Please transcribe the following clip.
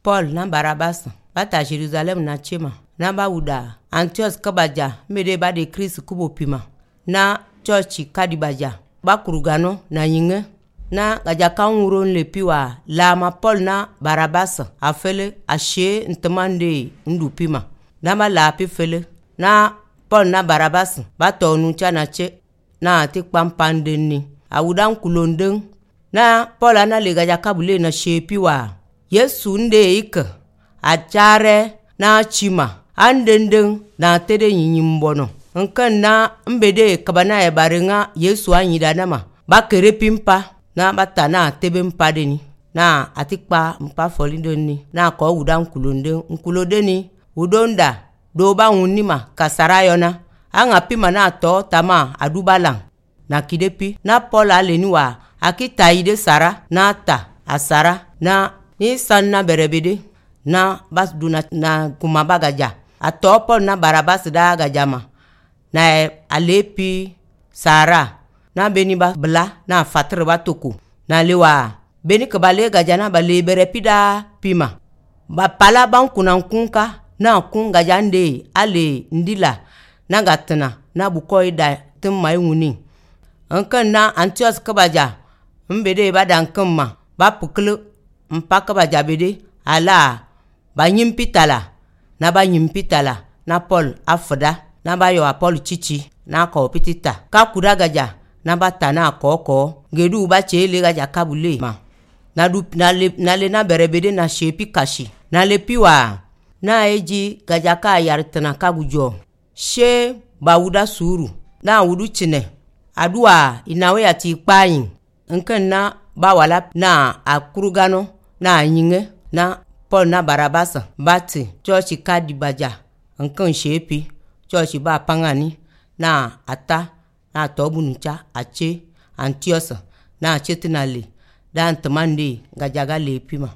Paul na Barabas bata Jerusalem na chema na ba wuda Antioch kabaja mede ba de Christ kubo pima na church kadibaja ba kurugano na yinge na gaja kanwuron lepiwa lama Paul na Barabas afele ashe ntemande ndupima na ba lapi fele na Paul na Barabas ba tonu chana che na ati pampandeni awudan kulondeng na Paul na legaja kabule na shepiwa Yesu nde ika achare na chima andendeng na tede nyimbono nkan na mbede kabana ya barenga Yesu anyida nama bakere pimpa na batana tebe mpadeni na atikpa mpa folindoni na ko wudan kulondeni udonda do ba wunima kasarayona anga pima na to tama adubalang na kidepi na Paul aleniwa akita ide sara na ta asara na ni sanna berebede na basduna na kumabagaja ato Paul na Barabas da gajama na alepi sara na beni ba bla na fatre batoku na lewa beni kabale gajana bale berepida pima ba pala bankuna kunka na kunga jande ale ndila na gatna na bukoida tumai wuni ankan na Antioch kabaja mbede badan kamma ba puklu mpaka baja bede ala ba nyimpitala na Paul afda na ba yo Paul chichi na ko pitita ka kudagaja na batana koko gedu ba chele gaja kabule ma na du na le na berebede na shepi kashi na lepiwa na eji gaja ka yartana kagujo she bawuda suru na wudu chine adua inawe ati kpayin nkan na bawala na akurugano na nyinge na Paul na Barabas bati church kadibaja nkan shepi church ba pangani na ata na tobunucha ache Antioch na chetinale dan tamande gajaga lepima